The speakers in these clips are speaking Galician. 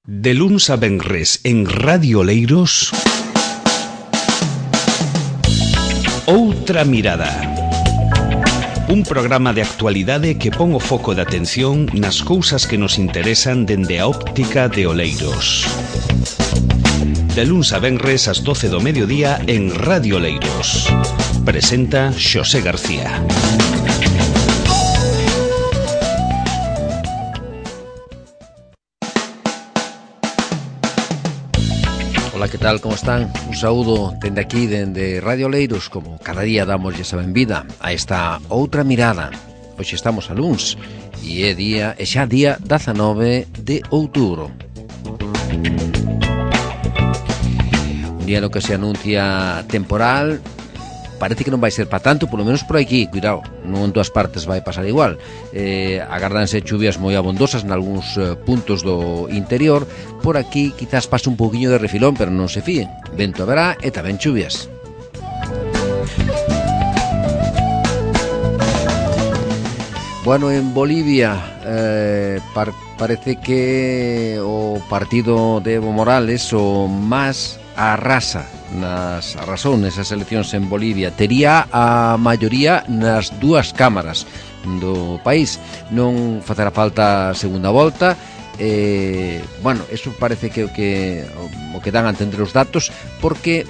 De luns a venres en Radio Oleiros, Outra Mirada. Un programa de actualidade que pon o foco de atención nas cousas que nos interesan dende a óptica de Oleiros. De luns a venres ás 12 do mediodía en Radio Oleiros. Presenta Xosé García. Ola, que tal, como están? Un saúdo dende aquí, dende Radio Oleiros. Como cada día damos esa benvida a esta Outra Mirada. Hoxe estamos a luns e é xa día 19 de outubro. Un día no que se anuncia temporal. Parece que non vai ser para tanto, polo menos por aquí, cuidado, non en todas partes vai pasar igual. Agardanse chuvias moi abondosas nalgúns puntos do interior. Por aquí quizás pase un pouquiño de refilón, pero non se fíen. Vento haberá e tamén chuvias. Bueno, en Bolivia parece que o partido de Evo Morales o MAS arrasou nesas eleccións en Bolivia. Tería a maioría nas dúas cámaras do país. Non facerá falta segunda volta. Bueno, eso parece que o que dan a entender os datos, porque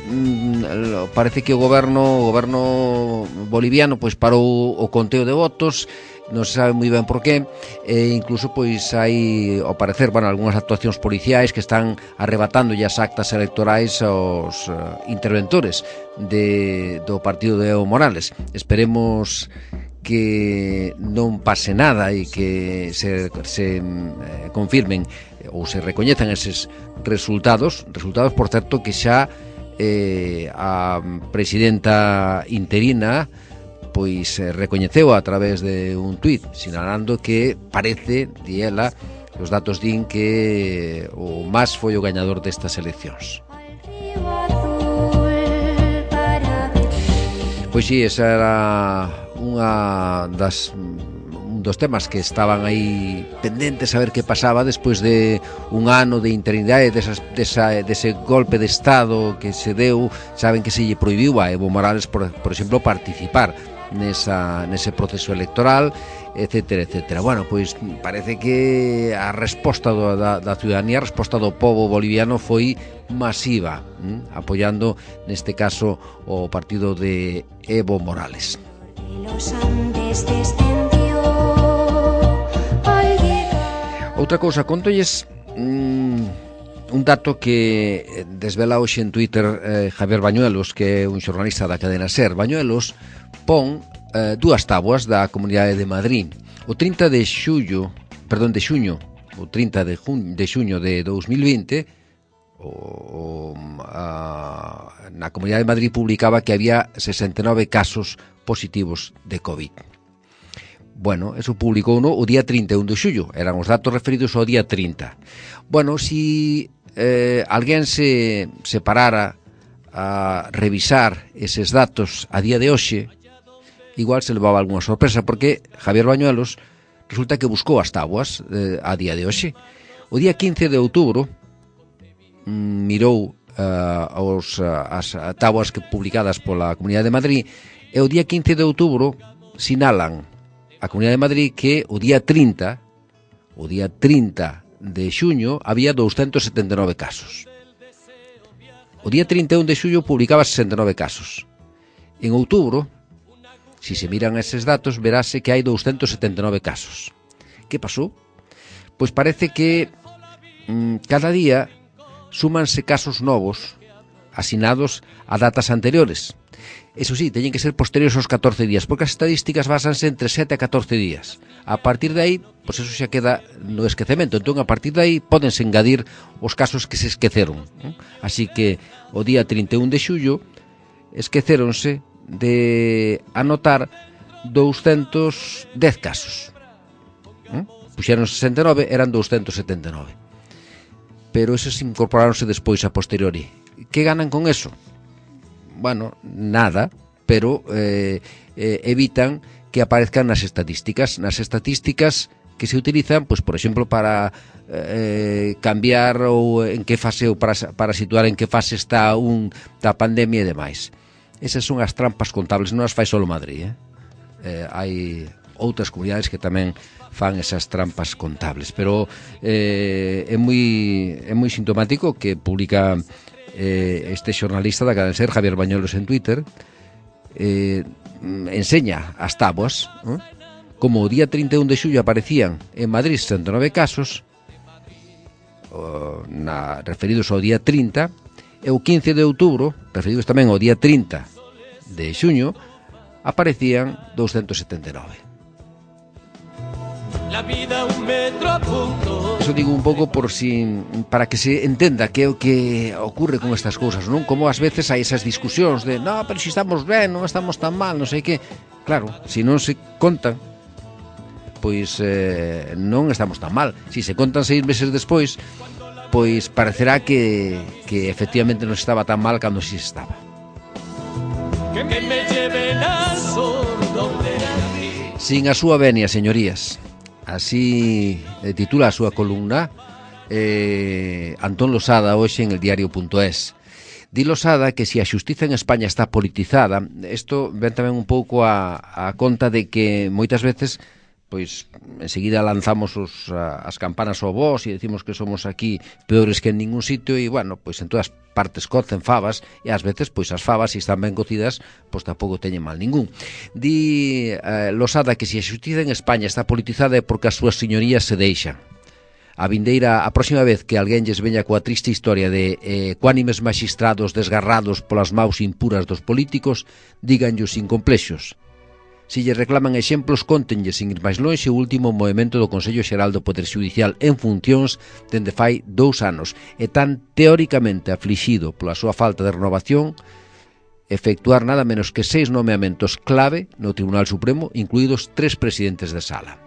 parece que o goberno boliviano pois parou o conteo de votos. Non se sabe moi ben por qué, incluso pois hai, ao parecer, algunhas actuacións policiais que están arrebatando as actas electorais aos interventores do partido de Evo Morales. Esperemos que non pase nada e que se confirmen ou se recoñezan eses resultados, por certo, que xa a presidenta interina pois recoñeceu a través de un tuit, sinalando que parece, di ela, os datos din que o MAS foi o gañador destas eleccións. Pois si, esa era un dos temas que estaban aí pendentes a ver que pasaba despois de un ano de interinidade, dese golpe de Estado que se deu. Saben que se lle prohibiu a Evo Morales, por exemplo, participar nese proceso electoral, etcétera, etcétera. Bueno, pois parece que a resposta da ciudadanía, a resposta do pobo boliviano foi masiva, apoiando neste caso o partido de Evo Morales. Outra cousa, contolles un dato que desvela hoxe en Twitter Javier Bañuelos, que é un xornalista da cadena SER. Bañuelos pon dúas táboas da Comunidade de Madrid. O 30 de xuño de 2020, na Comunidade de Madrid publicaba que había 69 casos positivos de COVID. Bueno, eso publicou o día 31 de xullo, eran os datos referidos ao día 30. Bueno, si alguén se parara a revisar eses datos a día de hoxe, igual se levaba algunha sorpresa, porque Javier Bañuelos resulta que buscou as táboas a día de hoxe. O día 15 de outubro mirou as táboas publicadas pola Comunidade de Madrid, e o día 15 de outubro sinalan a Comunidade de Madrid que o día 30 de xuño había 279 casos. O día 31 de xullo publicaba 69 casos. En outubro, si se miran eses datos, verase que hai 279 casos. Que pasou? Pois parece que cada día súmanse casos novos asinados a datas anteriores. Eso sí, teñen que ser posteriores aos 14 días, porque as estadísticas basanse entre 7 a 14 días. A partir de aí, pois eso xa queda no esquecemento. Entón, a partir de aí, pódense engadir os casos que se esqueceron. Así que, o día 31 de xullo, esqueceronse de anotar 210 casos. Puxeron 69, eran 279. Pero esos incorporáronse despois a posteriori. Que ganan con eso? Bueno, nada, pero evitan que aparezcan nas estatísticas. Nas estatísticas que se utilizan, pois, por exemplo, para cambiar ou en que fase, ou para situar en que fase está da pandemia e demais. Esas son as trampas contables, non as fai só Madrid, hai outras comunidades que tamén fan esas trampas contables, pero é moi sintomático que publica este xornalista da cadena SER, Javier Bañuelos, en Twitter, enseña as táboas, como o día 31 de xullo aparecían en Madrid 109 casos, referidos ao día 30, e o 15 de outubro, referidos tamén ao día 30 de xuño, aparecían 279. La vida un metro a punto. Eso digo un pouco para que se entenda que é o que ocurre con estas cousas, non? Como ás veces hai esas discusións de no, pero si estamos ben, non estamos tan mal, non sei que. Claro, se non se contan, pois non estamos tan mal. Si se contan 6 meses despois, pois parecerá que efectivamente non estaba tan mal cando si estaba. Que me lleven al sur donde nací. Sin a súa venia, señorías. Así titula a súa columna Antón Losada hoxe en el diario.es. Di Losada que se a xustiza en España está politizada, isto ven tamén un pouco a conta de que moitas veces pois enseguida lanzamos as campanas ao vós e decimos que somos aquí peores que en ningún sitio e, bueno, pois en todas partes cocen favas e ás veces, pois as favas, se están ben cocidas, pois tampouco teñen mal ningún. Di Losada que se a xustiza en España está politizada é porque as súas señorías se deixan. A próxima vez que alguén lles veña coa triste historia de ecuánimes maxistrados desgarrados polas maus impuras dos políticos, díganllos sin complexos. Se lle reclaman exemplos, cóntenlle sin ir máis lonxe o último movimento do Consello Xeral do Poder Xudicial en funcións dende fai 2 anos e tan teóricamente aflixido pola súa falta de renovación, efectuar nada menos que 6 nomeamentos clave no Tribunal Supremo, incluídos 3 presidentes de sala.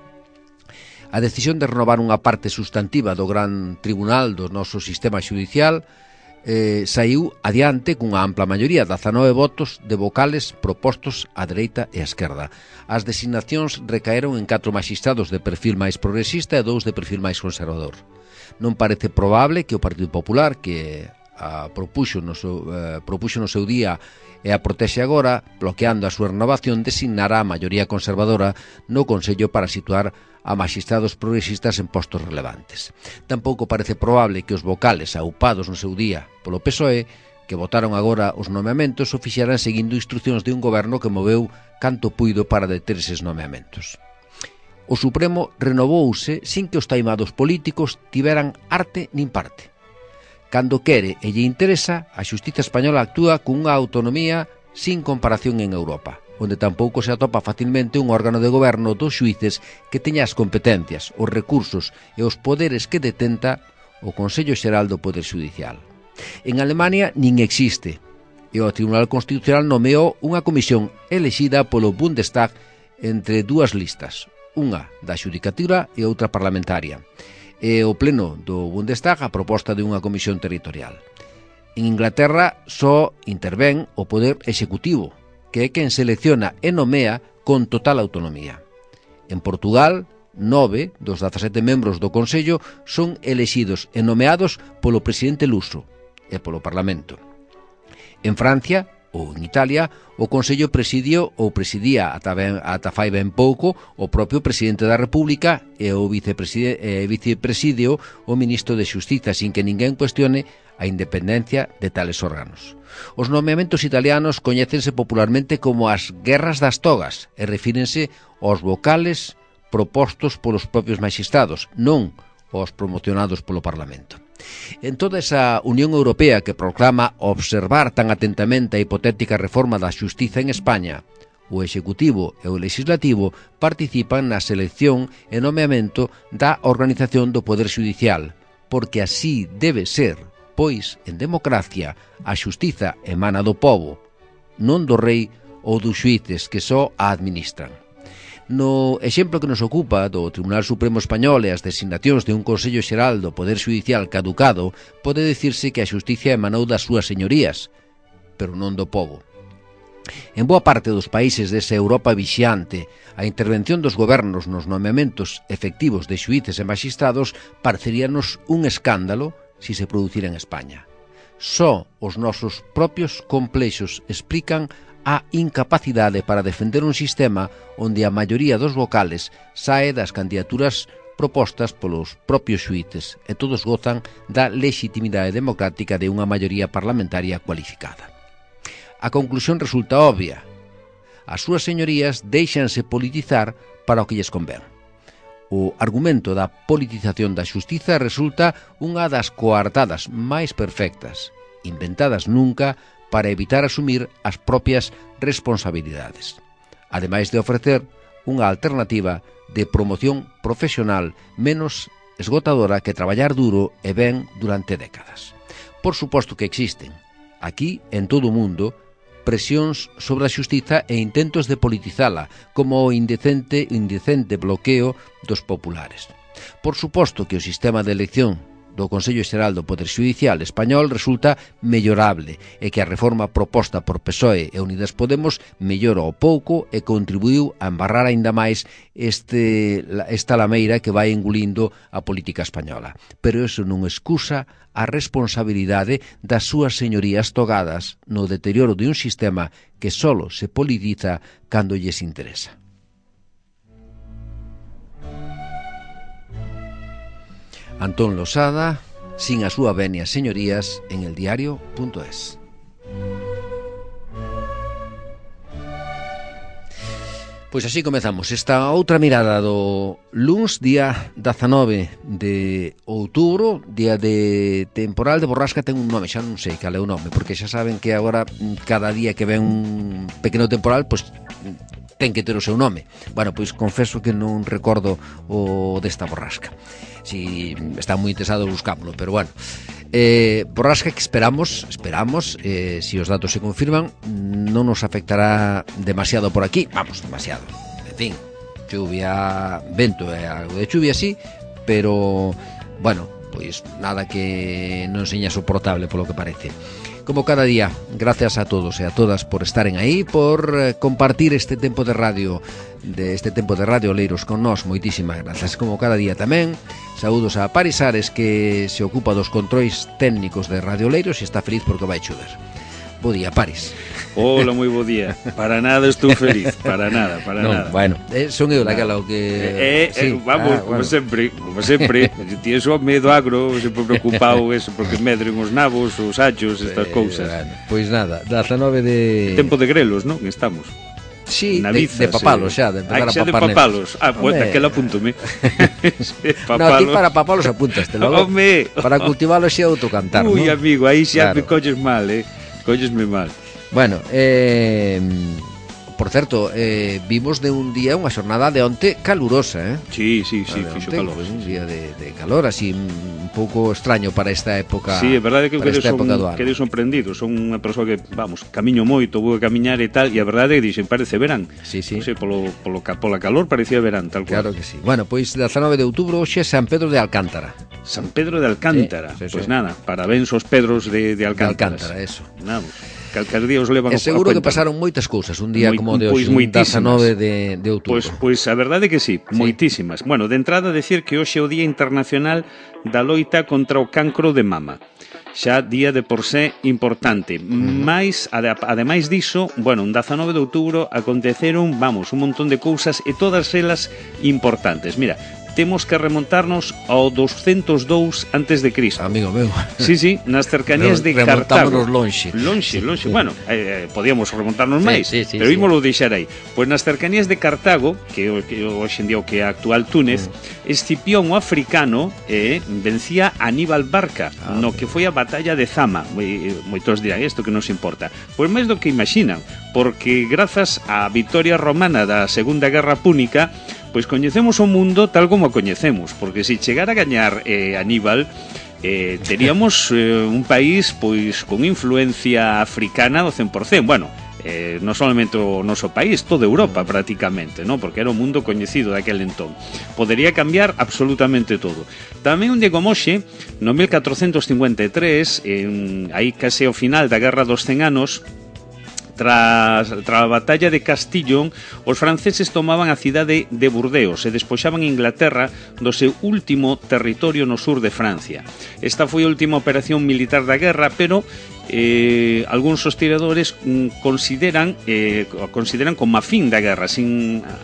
A decisión de renovar unha parte sustantiva do gran tribunal do noso sistema xudicial saiu adiante cunha ampla maioría, 19 votos de vocales propostos á dereita e á esquerda. As designacións recaeron en 4 magistrados de perfil máis progresista e 2 de perfil máis conservador. Non parece probable que o Partido Popular, que propuxo no seu día e a protexe agora, bloqueando a súa renovación, designará a maioría conservadora no Consello para situar a magistrados progresistas en postos relevantes. Tampouco parece probable que os vocales aupados no seu día polo PSOE, que votaron agora os nomeamentos, o fixeran seguindo instruccións de un goberno que moveu canto puido para deter eses nomeamentos. O Supremo renovouse sin que os taimados políticos tiveran arte nin parte. Cando quere e lle interesa, a xustiza española actúa cunha autonomía sin comparación en Europa, onde tampouco se atopa facilmente un órgano de goberno dos xuíces que teña as competencias, os recursos e os poderes que detenta o Consello Xeral do Poder Xudicial. En Alemania nin existe, e o Tribunal Constitucional nomeou unha comisión elexida polo Bundestag entre 2 listas, unha da xudicatura e outra parlamentaria, e o pleno do Bundestag a proposta de unha comisión territorial. En Inglaterra só intervén o poder executivo, que é quen selecciona e nomea con total autonomía. En Portugal, 9 dos 17 membros do Consello son elexidos e nomeados polo presidente luso e polo Parlamento. En Francia, ou en Italia, o Consello presidía ata fai ben pouco o propio presidente da República e o vicepresidio o ministro de Xustiza, sin que ninguén cuestione a independencia de tales órganos. Os nomeamentos italianos coñécense popularmente como as guerras das togas e refírense aos vocales propostos polos propios magistrados, non aos promocionados polo Parlamento. En toda esa Unión Europea que proclama observar tan atentamente a hipotética reforma da xustiza en España, o Executivo e o Legislativo participan na selección e nomeamento da organización do Poder Xudicial, porque así debe ser, pois, en democracia, a xustiza emana do pobo, non do rei ou dos xuíces que só a administran. No exemplo que nos ocupa do Tribunal Supremo Español e as designacións de un Consello Xeral do Poder Xudicial caducado, pode dicirse que a xusticia emanou das súas señorías, pero non do pobo. En boa parte dos países desa Europa vixante, a intervención dos gobernos nos nomeamentos efectivos de xuíces e magistrados pareceríanos un escándalo se se producira en España. Só os nosos propios complexos explican a incapacidade para defender un sistema onde a maioría dos vocales sae das candidaturas propostas polos propios xuíces e todos gozan da legitimidade democrática de unha maioría parlamentaria cualificada. A conclusión resulta obvia. As súas señorías déixanse politizar para o que lles convén. O argumento da politización da xustiza resulta unha das coartadas máis perfectas, inventadas nunca para evitar asumir as propias responsabilidades, ademais de ofrecer unha alternativa de promoción profesional menos esgotadora que traballar duro e ben durante décadas. Por suposto que existen, aquí en todo o mundo, presións sobre a xustiza e intentos de politizala, como o indecente bloqueo dos populares. Por suposto que o sistema de elección do Consello Xeral do Poder Xudicial español resulta mellorable e que a reforma proposta por PSOE e Unidas Podemos mellora o pouco e contribuiu a embarrar aínda máis esta lameira que vai engulindo a política española. Pero iso non excusa a responsabilidade das súas señorías togadas no deterioro de un sistema que solo se politiza cando lles interesa. Antón Losada, sin a súa venia señorías, en eldiario.es. Pois así comezamos esta outra mirada do luns, día 19 de outubro, día de temporal de borrasca. Ten un nome, xa non sei cal é o nome, porque xa saben que agora cada día que ven un pequeno temporal, pois ten que ter o seu nome. Bueno, pois confeso que non recordo o desta borrasca. Si está moi interesado buscámoslo, pero bueno, borrasca que esperamos, si os datos se confirman, non nos afectará demasiado por aquí, vamos, demasiado, en fin, chuvia, vento e algo de chuvia sí, pero bueno, pois nada que non seña soportable polo que parece. Como cada día, gracias a todos e a todas por estaren aí, por compartir este tempo de radio Oleiros con nós. Moitísimas grazas. Como cada día tamén, saúdos a Paris Ares, que se ocupa dos controis técnicos de Radio Oleiros e está feliz porque vai chover. Bo día, Paris. Hola, moi bo día. Para nada estou feliz, para nada. Bueno, son eu daquela o que... sí. Vamos, como sempre, ti eso medo agro, sempre preocupado eso, porque medren os nabos, os achos, estas cousas. Pois nada, 19 de... Tempo de grelos, non? Estamos. Sí, de papalos xa, de empezar a papar. De papalos. Bueno, aquel apúntome. No, aquí para papalos apúntaste logo. Para cultivalos xa outro cantar, non? Ui, amigo, aí xa me colles mal, collesme mal. Bueno, por certo, vimos de un día unha xornada de onte calurosa, Sí, fixo calor. Pues un día de calor, así un pouco extraño para esta época. Sí, é verdade que quedei sorprendido. Son unha persoa que, vamos, camiño moito, vou a camiñar e tal, e a verdade é que dixen, parece verán. Sí. Non sei, pola calor parecía verán, tal cual. Claro que sí. Bueno, pois 19 de outubro hoxe San Pedro de Alcántara. San Pedro de Alcántara. Sí. Pois nada, parabéns aos Pedros de Alcántara. De Alcántara, eso. Nada, calcar día os levan a seguro que pasaron moitas cousas un día como de hoxe, 19 de outubro. Pois a verdade é que sí, moitísimas. Bueno, de entrada decir que hoxe é o Día Internacional da Loita contra o Cancro de Mama. Xa día de por sé importante. Mais, ademais diso, bueno, un 19 de outubro aconteceron, vamos, un montón de cousas e todas elas importantes. Mira, temos que remontarnos ao 202 antes de Cristo. Amigo meu. Sí, nas cercanías de Cartago. Lonxe. Bueno, podíamos remontarnos máis, pero ímolo deixar aí. Pois nas cercanías de Cartago, que hoxe en día o que é a actual Túnez, Escipión o africano vencía a Aníbal Barca, no que foi a batalla de Zama. Moitos dirán, isto que nos importa. Pois máis do que imaginan, porque grazas á vitoria romana da Segunda Guerra Púnica, pois coñecemos o mundo tal como o coñecemos, porque se chegara a gañar Aníbal, teríamos un país pois con influencia africana do 100%. Bueno, non solamente o noso país, toda Europa prácticamente, ¿no? Porque era o mundo coñecido daquel entón. Podería cambiar absolutamente todo. Tamén un día como hoxe, no 1453, aí case ao final da Guerra dos 100 anos, Tras a batalla de Castillon, os franceses tomaban a cidade de Burdeos e despoxaban Inglaterra do seu último territorio no sur de Francia. Esta foi a última operación militar da guerra, pero algúns historiadores consideran como a fin da guerra.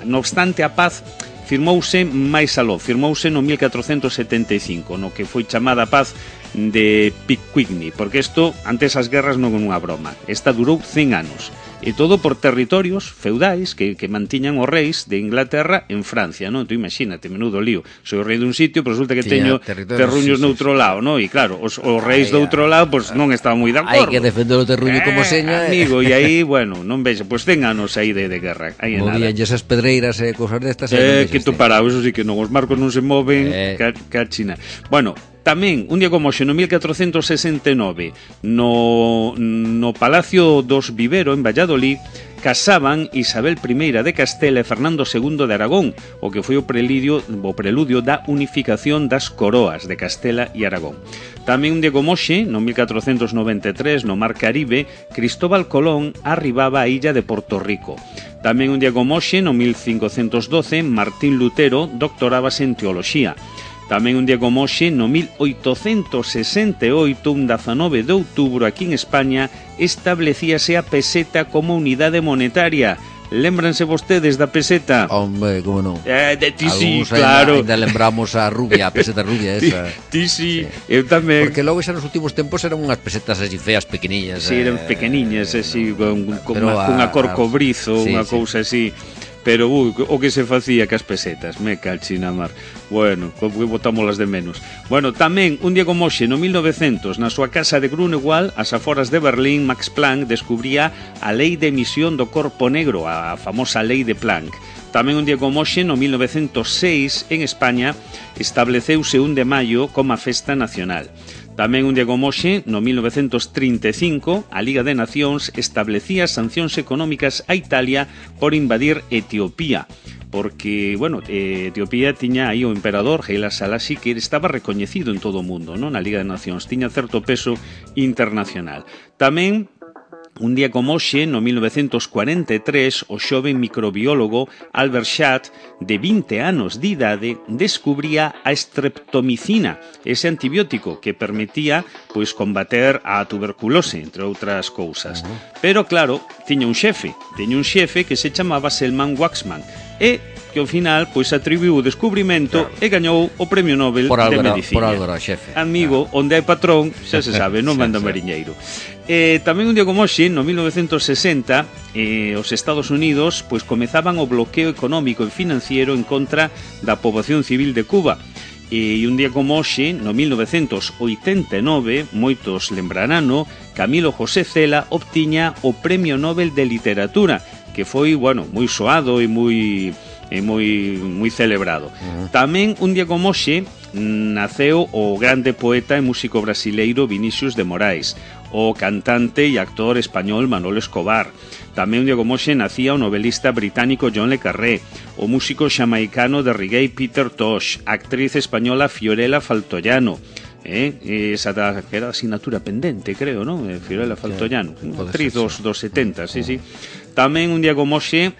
No obstante, a paz firmouse máis aló, firmouse no 1475, no que foi chamada a paz de Picquigny, porque isto, antes as guerras non é unha broma, esta durou 100 anos. E todo por territorios feudais que mantiñan os reis de Inglaterra en Francia, non? Tú imagínate, menudo lío. Soy o rei dun sitio, pero resulta que teño terruños noutro lado, non? E claro, os reis do outro lado, pois non estaban moi de acordo. Hai que defender o terruño como seña. Amigo, e aí, bueno, non vexe, pois 100 anos aí de guerra. Movían esas pedreiras e cosas destas. Que tú parado, eso sí que non, os marcos non se moven, cachina. Bueno, tamén, un día como hoxe, no 1469, no Palacio dos Vivero, en Valladolid, casaban Isabel I de Castela e Fernando II de Aragón, o que foi o preludio da unificación das coroas de Castela e Aragón. Tamén un día como hoxe, no 1493, no Mar Caribe, Cristóbal Colón arribaba á illa de Porto Rico. Tamén un día como hoxe, no 1512, Martín Lutero doctorábase en teoloxía. Tamén un día como hoxe, no 1868, un 19 de outubro, aquí en España, establecíase a peseta como unidade monetaria. Lémbranse vostedes da peseta? Hombre, como non? De ti sí, claro. Ainda lembramos a rubia, a peseta rubia esa. Ti sí, eu tamén. Porque logo xa nos últimos tempos eran unhas pesetas así feas, pequeniñas. Sí, eran pequeniñas, así, con unha cor cobrizo, unha cousa así. Pero o que se facía cas pesetas, me calchina mar. Bueno, botámolas de menos. Bueno, tamén, un día como hoxe, no 1900, na súa casa de Grunewald, ás aforas de Berlín, Max Planck descubría a lei de emisión do corpo negro, a famosa lei de Planck. Tamén un día como hoxe, no 1906, en España, estableceuse 1 de maio como a festa nacional. Tamén un día como hoxe, no 1935, a Liga de Nacións establecía sancións económicas a Italia por invadir Etiopía. Porque, bueno, Etiopía tiña aí o emperador Haile Selassie, que estaba recoñecido en todo o mundo, non? Na Liga de Nacións, tiña certo peso internacional. Tamén un día como hoxe, no 1943, o xoven microbiólogo Albert Schadt, de 20 anos de idade, descubría a streptomicina, ese antibiótico que permitía pois combater a tuberculose, entre outras cousas. Pero claro, tiña un xefe que se chamaba Selman Waksman, e que ao final pois atribuiu o descubrimento e gañou o Premio Nobel de Medicina. Por algo era xefe. Amigo, onde hai patrón, xa se sabe, non manda mariñeiro. Tamén un día como hoxe, no 1960, os Estados Unidos pois comezaban o bloqueo económico e financiero en contra da poboación civil de Cuba. E un día como hoxe, no 1989, moitos lembrarano, Camilo José Cela obtiña o Premio Nobel de Literatura, que foi, bueno, moi soado e moi celebrado. Tamén un día como hoxe naceu o grande poeta e músico brasileiro Vinicius de Moraes, o cantante e actor español Manolo Escobar. Tamén un día como hoxe nacía o novelista británico John le Carré, o músico xamaicano de reggae Peter Tosh, a actriz española Fiorella Faltoiano, esa que era asignatura pendente, creo, non? Fiorella Faltoiano, actriz dos 70, sí. Tamén un día como hoxe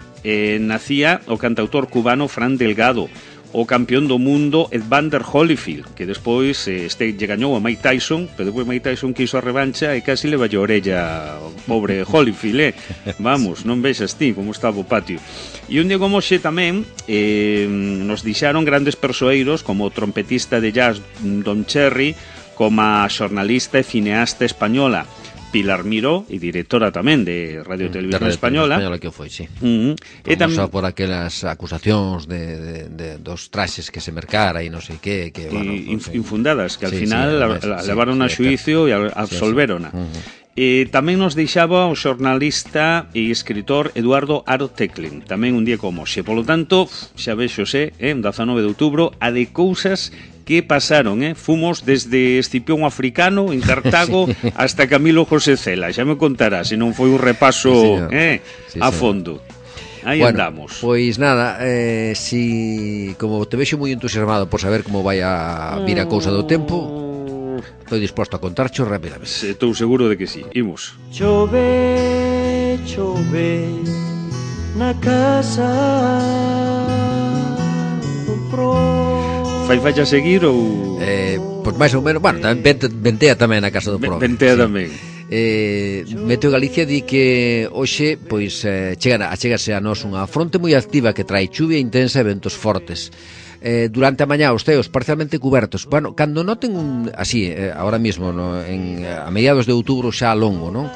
nacía o cantautor cubano Fran Delgado, o campeón do mundo Evander Holyfield, que despois lle gañou a Mike Tyson, pero despois Mike Tyson quiso a revancha e casi le vallou a orella ao pobre Holyfield, Vamos, non vexas ti como estaba o patio. E un día como hoxe tamén nos dixaron grandes persoeiros como o trompetista de jazz Don Cherry, como a xornalista e cineasta española Pilar Miró, e directora tamén de Radio Televisión Española que foi, sí. E tamén por aquelas acusacións de dos traxes que se mercara e non sei que bueno, infundadas, que al final levaron a xuicio e absolverona. E tamén nos deixaba o xornalista e escritor Eduardo Aro Teclin, tamén un día como hoxe. Polo tanto, xa vexose, 19 de outubro, a de cousas que pasaron, Fumos desde Escipión Africano en Cartago hasta Camilo José Cela. Xa me contará, se non foi un repaso a fondo. Aí andamos. Pois nada, si como te vexo moi entusiasmado por saber como vai a vir a cousa do tempo, estou disposto a contarcho rapidamente. Estou seguro de que sí. Imos. Chover chove na casa do pro. Fai falla seguir ou... Pois máis ou menos, bueno, ventea tamén na casa do pro. Ventea tamén. Meteo Galicia di que hoxe pois achégase a nós unha fronte moi activa que trae chuvia intensa e ventos fortes. Durante a mañá os ceos parcialmente cubertos. Bueno, cando noten así, ahora mismo, no, a mediados de outubro xa longo, non?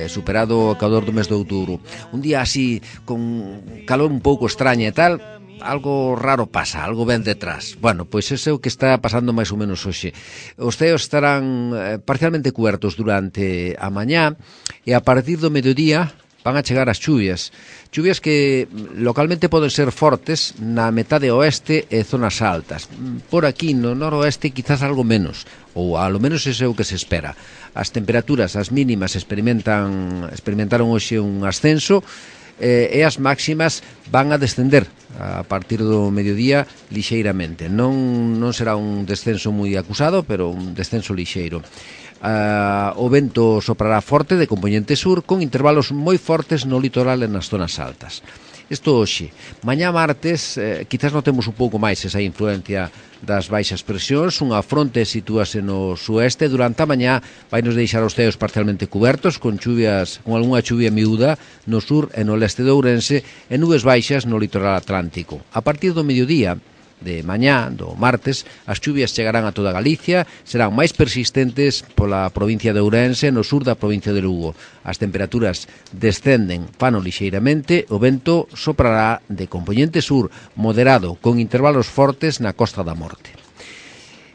Superado o calor do mes de outubro. Un día así, con calor un pouco extraña e tal, algo raro pasa, algo ven detrás. Bueno, pois ese é o que está pasando máis ou menos hoxe. Os ceos estarán parcialmente cubertos durante a mañá e a partir do mediodía van a chegar as chuvias. Chuvias que localmente poden ser fortes na metade oeste e zonas altas. Por aquí no noroeste quizás algo menos, ou ao menos ese é o que se espera. As temperaturas, as mínimas experimentaron hoxe un ascenso e as máximas van a descender a partir do mediodía lixeiramente. Non será un descenso moi acusado, pero un descenso lixeiro. O vento soprará forte de compoñente sur con intervalos moi fortes no litoral e nas zonas altas. Isto hoxe. Mañá martes quizás notemos un pouco máis esa influencia das baixas presións. Unha fronte sitúase no sueste. Durante a mañá vai nos deixar os ceos parcialmente cubertos con algunha chuvia miúda no sur e no leste de Ourense e nubes baixas no litoral atlántico. A partir do mediodía de mañá, do martes, as chuvias chegarán a toda Galicia, serán máis persistentes pola provincia de Ourense e no sur da provincia de Lugo. As temperaturas descenden fano lixeiramente, o vento soprará de compoñente sur moderado, con intervalos fortes na Costa da Morte.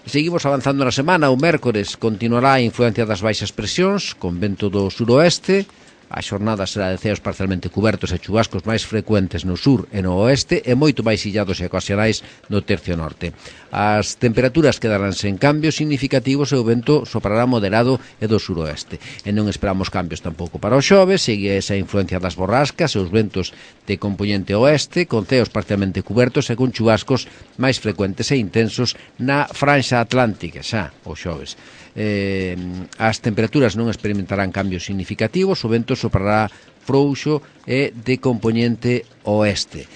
Seguimos avanzando na semana. O mércores continuará a influencia das baixas presións, con vento do suroeste. A xornada será de ceos parcialmente cubertos e chubascos máis frecuentes no sur e no oeste e moito máis illados e ocasionais no tercio norte. As temperaturas quedarán sen cambios significativos e o vento soprará moderado e do suroeste. E non esperamos cambios tampouco para o xoves, segue esa influencia das borrascas e os ventos de compoñente oeste, con ceos parcialmente cubertos e con chubascos máis frecuentes e intensos na franxa atlántica xa o xoves. As temperaturas non experimentarán cambios significativos, o vento soprará frouxo e de compoñente oeste.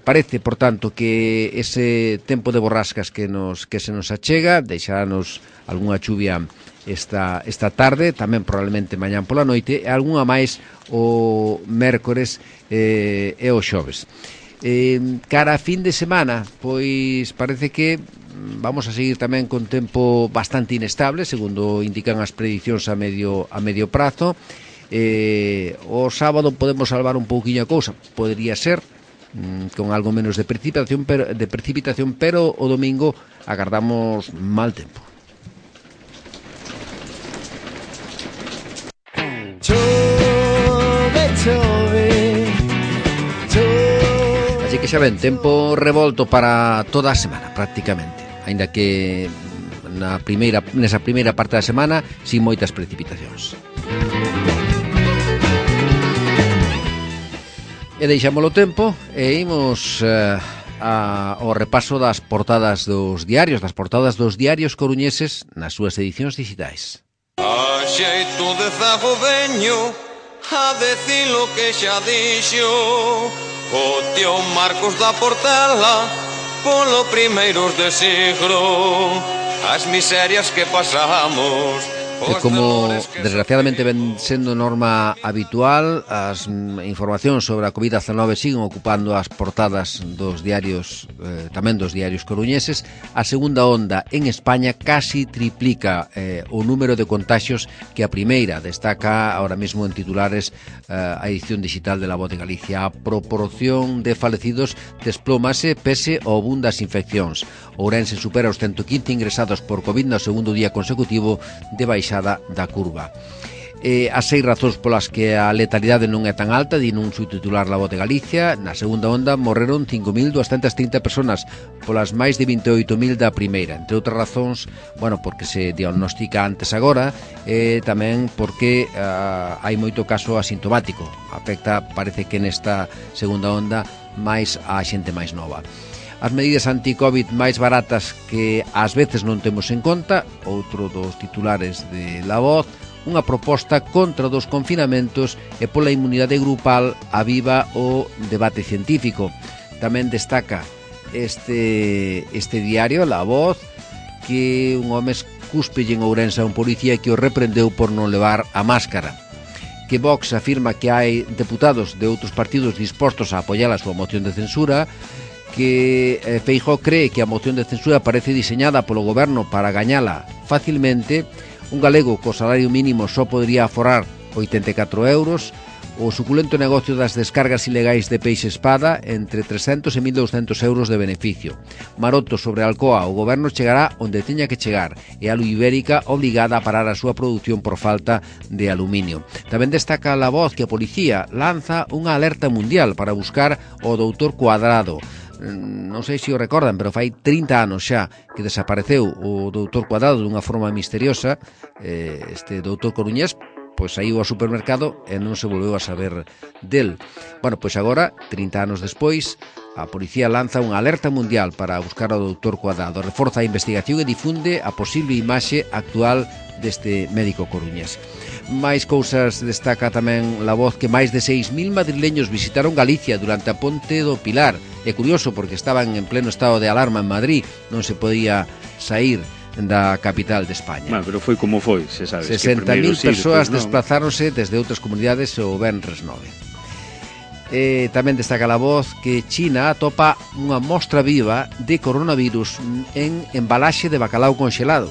Parece, por tanto, que ese tempo de borrascas que se nos achega deixarános algunha chuvia esta tarde, tamén probablemente mañán pola noite, e algunha máis o mércores e o xoves. Cara a fin de semana, pois parece que vamos a seguir tamén con tempo bastante inestable, segundo indican as predicións a medio prazo. O sábado podemos salvar un pouquiño a cousa, podría ser, con algo menos de precipitación, pero o domingo agardamos mal tempo. Chove, chove, chove. Así que xa ven, tempo revolto para toda a semana, prácticamente. Aínda que nesa primeira parte da semana sin moitas precipitacións. E deixámolo tempo e imos ao repaso das portadas dos diarios coruñeses nas súas edicións digitais. A xeito de zago veño a decir lo que xa dixo o tío Marcos da Portela polo primeiros de siglo, as miserias que pasamos. E como desgraciadamente ven sendo norma habitual, as informacións sobre a COVID-19 siguen ocupando as portadas dos diarios, tamén dos diarios coruñeses. A segunda onda en España casi triplica o número de contagios que a primeira. Destaca ahora mesmo en titulares a edición digital de La Voz de Galicia. A proporción de falecidos desplómase pese ao boom das infeccións. Ourense supera os 115 ingresados por COVID no segundo día consecutivo de baixada da curva. As 6 razóns polas que a letalidade non é tan alta, di nun subtitular La Voz de Galicia. Na segunda onda morreron 5.230 personas polas máis de 28.000 da primeira. Entre outras razóns, porque se diagnostica antes agora e tamén porque hai moito caso asintomático. Afecta, parece que nesta segunda onda, máis a xente máis nova. As medidas anti-Covid máis baratas que ás veces non temos en conta, outro dos titulares de La Voz. unha proposta contra dos confinamentos e pola inmunidade grupal aviva o debate científico. Tamén destaca este diario, La Voz, que un home cúspelle en Ourense a un policía que o reprendeu por non levar a máscara. Que Vox afirma que hai deputados de outros partidos dispostos a apoiar a súa moción de censura, que Feijóo cree que a moción de censura parece diseñada polo goberno para gañala facilmente. Un galego co salario mínimo só podría aforrar 84 euros, o suculento negocio das descargas ilegais de peixe espada entre 300 e 1.200 euros de beneficio. Maroto sobre Alcoa, o goberno chegará onde teña que chegar e a Ibérica obligada a parar a súa produción por falta de aluminio. Tamén destaca La Voz que a policía lanza unha alerta mundial para buscar o doutor Cuadrado. Non sei se o recordan, pero fai 30 anos xa que desapareceu o doutor Cuadrado dunha forma misteriosa. Este doutor coruñés pois saiu ao supermercado e non se volveu a saber del. Bueno, pois agora, 30 anos despois, a policía lanza unha alerta mundial para buscar ao doutor Cuadrado, reforza a investigación e difunde a posible imaxe actual deste médico coruñés. Máis cousas destaca tamén La Voz, que máis de 6.000 madrileños visitaron Galicia durante a Ponte do Pilar. É curioso porque estaban en pleno estado de alarma en Madrid, non se podía sair da capital de España. Bueno, pero foi como foi, se sabes. 60.000 persoas desplazáronse desde outras comunidades o Venres 9. Tamén destaca La Voz que China atopa unha mostra viva de coronavirus en embalaxe de bacalao conxelado.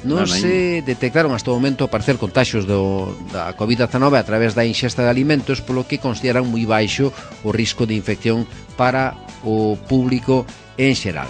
Non se detectaron hasta o momento aparecer contaxios da COVID-19 a través da ingesta de alimentos, polo que consideran moi baixo o risco de infección para o público en xeral.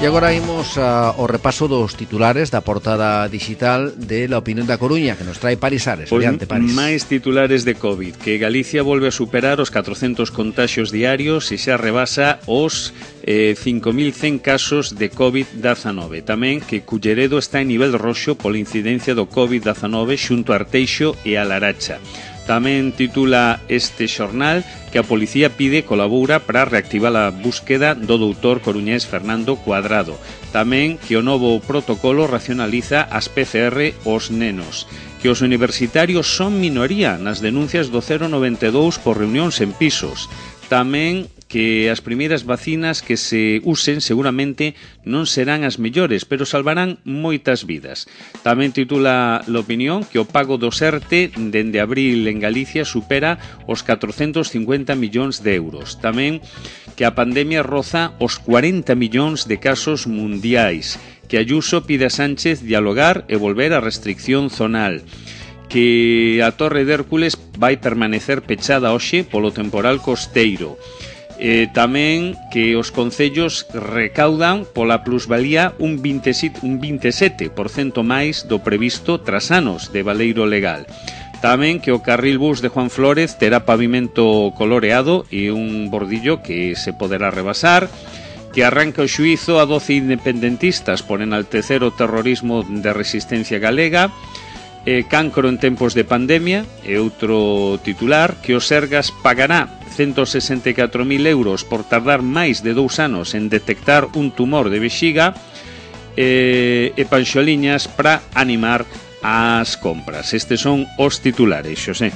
E agora imos ao repaso dos titulares da portada digital de La Opinión da Coruña, que nos trae Paris Ares. Adiante, Paris. Máis titulares de COVID, que Galicia volve a superar os 400 contaxios diarios e xa rebasa os 5.100 casos de COVID-19. Tamén que Culleredo está en nivel roxo pola incidencia do COVID-19 xunto a Arteixo e a Laracha. Tamén titula este xornal que a policía pide colabora para reactivar a búsqueda do doutor coruñés Fernando Cuadrado. Tamén que o novo protocolo racionaliza as PCR aos nenos. Que os universitarios son minoría nas denuncias do 092 por reunións en pisos. Tamén que as primeiras vacinas que se usen seguramente non serán as mellores, pero salvarán moitas vidas. Tamén titula La Opinión que o pago do ERTE dende abril en Galicia supera os 450 millóns de euros. Tamén que a pandemia roza os 40 millóns de casos mundiais. Que Ayuso pide a Sánchez dialogar e volver á restricción zonal. Que a Torre de Hércules vai permanecer pechada hoxe polo temporal costeiro. Tamén que os concellos recaudan pola plusvalía un 27% máis do previsto tras anos de baleiro legal. Tamén que o carril bus de Juan Flórez terá pavimento coloreado e un bordillo que se poderá rebasar. Que arranca o xuízo a 12 independentistas por enaltecer o terrorismo de resistencia galega. Cancro en tempos de pandemia é outro titular. Que o Sergas pagará 164.000 euros por tardar máis de 2 anos en detectar un tumor de vexiga. E panxoliñas para animar as compras. Estes son os titulares, Xosé.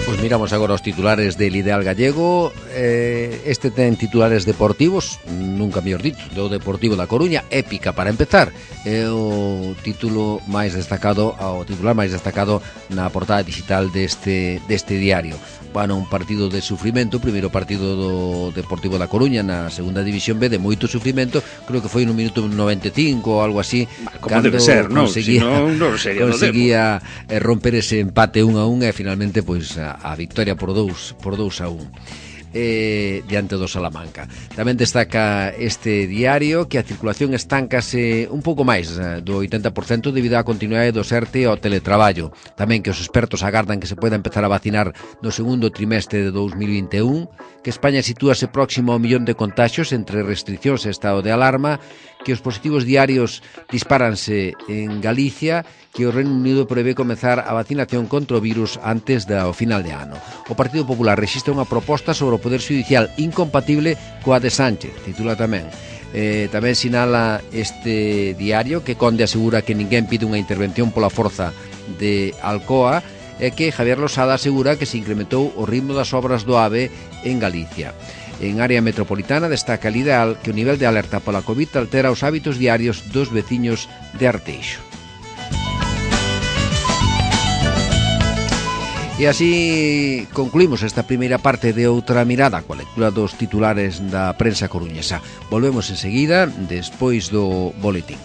Pois miramos agora os titulares del Ideal Gallego. Este ten titulares deportivos, nunca mellor dito, do Deportivo da Coruña, épica para empezar. É o título máis destacado, o titular máis destacado na portada digital deste diario. Bueno, un partido de sufrimento, o primeiro partido do Deportivo da Coruña na segunda división B, de moito sufrimento, creo que foi no minuto 95 ou algo así, como debe ser, non? Conseguía romper ese empate 1-1 e finalmente pois a victoria por 2-1 diante do Salamanca. Tamén destaca este diario que a circulación estancase un pouco máis do 80% debido á continuidade do ERTE ao teletraballo. Tamén que os expertos agardan que se poida empezar a vacinar no segundo trimestre de 2021, que España sitúase próximo ao 1.000.000 de contaxios entre restriccións e estado de alarma, que os positivos diarios dispáranse en Galicia, que o Reino Unido prevé comezar a vacinación contra o virus antes do final de ano. O Partido Popular rexistra unha proposta sobre o Poder Xudicial incompatible coa de Sánchez, titula tamén. Tamén sinala este diario que Conde asegura que ninguén pide unha intervención pola forza de Alcoa e que Javier Losada asegura que se incrementou o ritmo das obras do AVE en Galicia. En área metropolitana destaca el ideal que o nivel de alerta pola COVID altera os hábitos diarios dos veciños de Arteixo. E así concluímos esta primeira parte de Outra Mirada coa lectura dos titulares da prensa coruñesa. Volvemos enseguida, despois do boletín.